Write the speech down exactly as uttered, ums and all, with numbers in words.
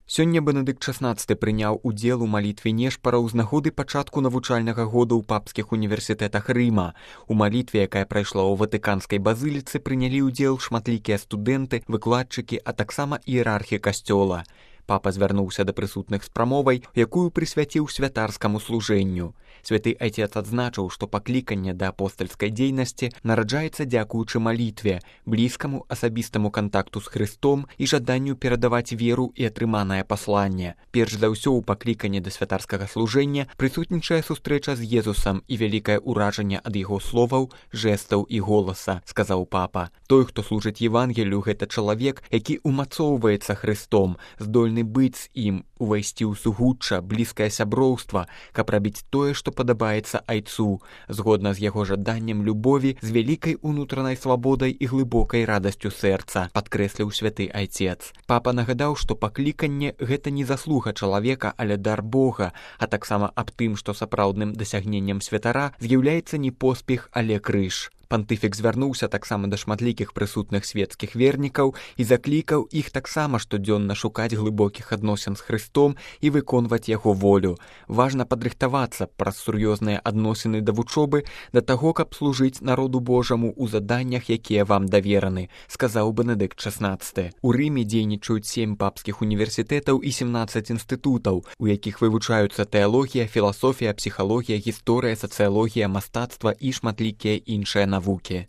Сёння Бенедыкт шаснаццаты прыняў удзел у малітве нешпараў з нагоды пачатку навучальнага года ў папскіх універсітэтах Рыма. У малітве, якая прайшла ў ватыканскай базыліцы, прынялі ўдзел шматлікія студэнты, выкладчыкі, а таксама іерархі касцёла. Папа звярнуўся да прысутных з прамовай, якую прысвяціў святарскаму служэнню. Святы Айцец адзначыў, што пакліканне да апостальскай дзейнасці нараджаецца дзякуючы малітве, блізкаму асабістаму кантакту з Хрыстом і жаданню перадаваць веру і атрыманае пасланне. Перш за ўсё ў пакліканні да святарскага служэння прысутнічае сустрэча з Езусам і вялікае ўражанне ад яго словаў, жэстаў і голаса, сказаў папа. Той, хто служыць Евангелію, гэта чалавек, які умацоўваецца Хрыстом, здольны быць з ім, увайсці ў сугучча, блізкае сяброўства, каб рабіць тое, што падабаецца Айцу, згодна з яго жаданнем любові, з вялікай унутранай свабодай і глыбокай радасцю сэрца, падкрэсліў святы Айцец. Папа нагадаў, што пакліканне гэта не заслуга чалавека, але дар Бога, а таксама аб тым, што сапраўдным дасягненнем святара з'яўляецца не поспех, але крыж. Пантыфік звярнуўся таксама да шматлікіх прысутных светскіх вернікаў і заклікаў іх таксама штодзённа шукаць глыбокіх адносін з Хрыстом і выконваць яго волю. Важна падрыхтавацца праз сур'ёзныя адносіны да вучобы да таго, каб служыць народу Божаму ў заданнях, якія вам давераны, сказаў Бенедыкт шаснаццаты. У Рыме дзейнічаюць сем папскіх універсітэтаў і семнаццаць інстытутаў, у якіх вывучаюцца тэалогія, філасофія, псіхалогія, гісторыя, сацыялогія, мастацтва і шматлікія іншыя навукі.